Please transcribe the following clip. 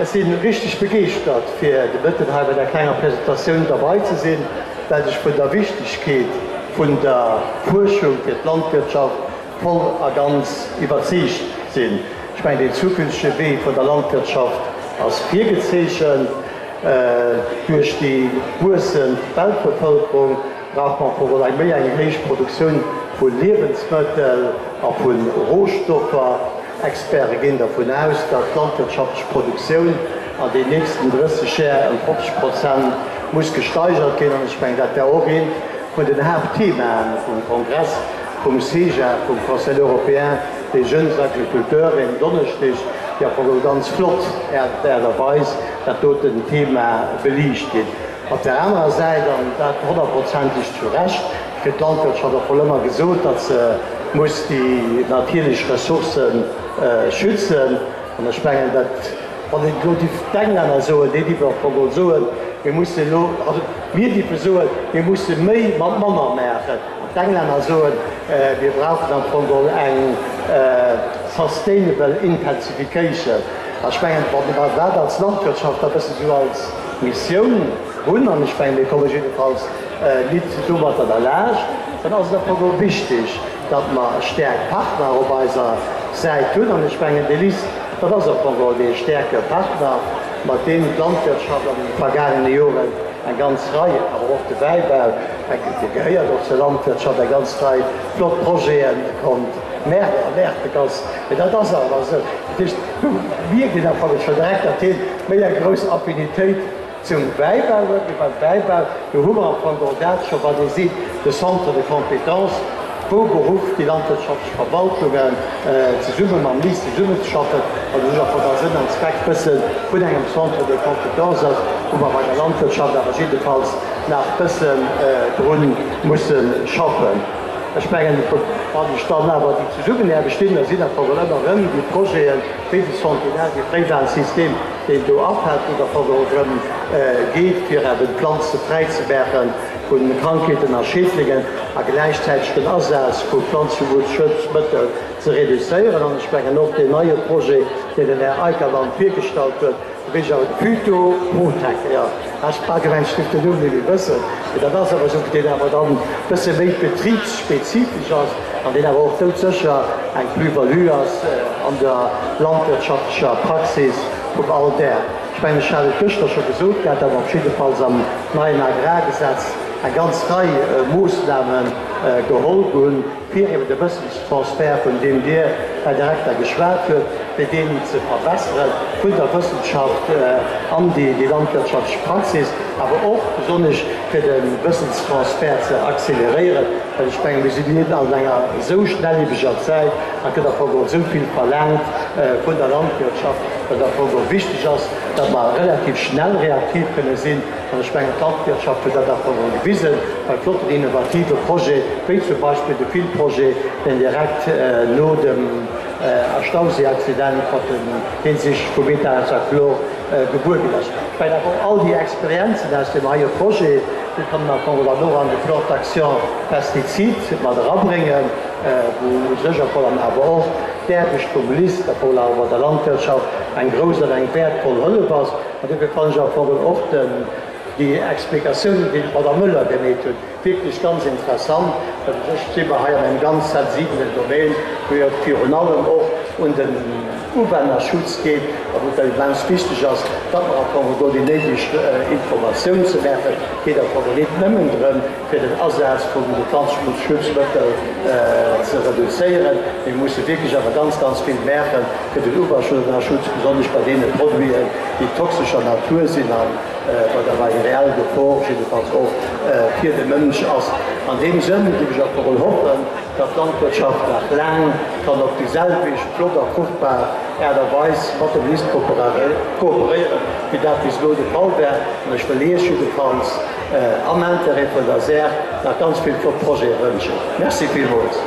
Ech si richteg begeeschtert fir de Mëtten hei bei der klenger Presentatioun derbei ze sinn, well ech vun der Wichtegkeet vun der Fuerschung fir d'Landwirtschaft voll a ganz iwwerzeegt sinn. Ech mengen, deen zukünftege Wee vun der Landwirtschaft ass virgezeechent. Duerch déi wuessend Weltbevëlkerung brauch mer wuel eng méi eng héich Produktioun vu Liewensmëttel a vu Rohstoffer. Experte ginn dervun aus, datt d'landwirtschaftlech Produktioun an den nächsten 30 Jär ëm 50 Prozent muss gesteigert ginn. An ech mengen, dat war och eent vun den Haaptthemaen vum Kongress vum CEJA, vum Conseil européen des jeunes agriculteurs, en Donneschdeg, déi am Fong ganz flott Aart a Weis dat doten Thema beliicht ginn. Op där anerer Säit, an dat honnertprozenteg zu Recht, kritt d'Landwirtschaft och wuel ëmmer gesot, datt se muss déi natierlech Ressourcë schützen. An ech mengen, dat, wann een elo dierf d'Englänner soen, déi dierfen och wuel soen, mir musse elo, also mir dierfe soen, mir musse méi mat manner maachen. An d'Englänner soen, mir brauchen am Fong geholl eng sustainable intensification. A ech mengen, wa mer dat als Landwirtschaft e bësse sou als Missioun hunn, an ech mengen, mir komme jiddefalls nit domatter derlaanscht, dann ass et am Fong och wichtig, datt mer staark Partner op eiser Säit hunn. An ech mengen, de LIST, dat ass am Fong och dee staarke Partner, mat deem d'Landwirtschaft an de vergaangene Joren eng ganz Rei, awer och de Wäibau, dee gehéiert och zur Landwirtschaft, eng ganz Rei flott Projete konnt maachen. A maachen. Mee dat ass awer esou. Dat heescht, do mierkt een am Fong scho direkt, datt hien méi eng grouss Affinitéit zum Wäibau huet. Mee beim Wäibau, do hu mer am Fong och dat scho, wat ee seet, de Centre de compétences, wou beruff déi landwirtschaftlech Verwaltungen zesumme mam LIST zesummenzeschaffen, wat u sech am Fong a Sënn an Zweck bësse vun engem Centre de compétences ass, wou mer bei der Landwirtschaft awer jiddefalls nach bëssen dru musse schaffen. Ech mengen, wann ech dann awer déi Zesummenaarbecht sinn, da sinn dat wuel ëmmer erëm déi Projeten, wéi de Sentinelle, dee Fréiwarnsystem, deen do afält, wou et am Fong och drëm geet, fir eben d'Planze fräi ze maache vu Krankheeten a Schädlingen a gläichzäiteg den Asaz vu Planzeschutzmëttel ze reduzéieren. An ech mengen och deen neie Projet, deen den Här Eikermann virgestallt huet, Wéi awer de Phyto Protec, jo, ech bal gemengt ech géif den Numm net méi wëssen, mee dat ass awer esou, deen awer dann bësse méi betribsspezifesch ass an deen awer och doudsécher eng Plus-value ass an der landwirtschaftlecher Praxis vum Alldag. Ech mengen, ech hat et gëschter scho gesot gehat, datt mer op jiddefalls am neien Agrargesetz eng ganz Rei Moossname geholl hunn, fir eben de Wëssenstransfert, vun deem Dir, Här Direkter, geschwat huet, fir deen ze verbesseren, vun der Wëssenschaft an déi landwirtschaftlech Praxis, awer och besonnesch fir de Wëssenstransfert ze accéléréieren, well ech mengen, mir sinn net an enger esou schnelliebeger Zäit, a gëtt am Fong och esou vill verlaangt vun der Landwirtschaft, datt et am Fong och wichteg ass, datt mer relativ schnell reaktiv kënne sinn. An ech mengen, d'Landwirtschaft huet dat awer emol gewisen, bei flotten innovative Projete wéi zum Beispill de Fil-Projet, deen direkt no dem Stauséi-Accident mat den Hinsicht vu Methazachlor gebuer ginn ass. Ech mengen awer och all déi Experienzen aus deem heie Projet, déi kann een am Fong dann och an de Plan d'action pesticides mat erabréngen, wou u sech am Fong dann awer och d'Aarbecht vum LIST, a voll awer der Landwirtschaft eng grouss an eng wäertvoll Hëllef ass. An dofir fannen ech am Fong och déi Explikatiounen, déi d'Madame Müller gemeet huet, wierklech ganz interessant, well u sech si mer hei an engem ganz sensibelen Domaine, wou jo et virun allem och un den Uwennerschutz geet a wou et immens wichteg ass, datt mer am Fong do déi néideg Informatioun ze maachen. Et geet am Fong net nëmmen drëm, fir den Asaz vun de Planzeschutzmëttel ze reduzéieren. Mir musse wierklech awer ganz, ganz vill maachen, fir den Uwasschutz, besonnesch bei deene Produiten, déi toxescher Natur sinn a bei der eng reell Gefor jiddefalls och fir de Mënsch ass. An deem Sënn géif ech och emol hoffen, datt d'Landwirtschaft nach laang kann op déi selwecht flott a fruchtbar Aart a Weis mat dem LIST kooperéieren, wéi dat bis elo de Fall war. An ech wëll Iech jiddefalls am Intérêt vun der Saach nach ganz vill flott Projete wënschen. Merci villmools.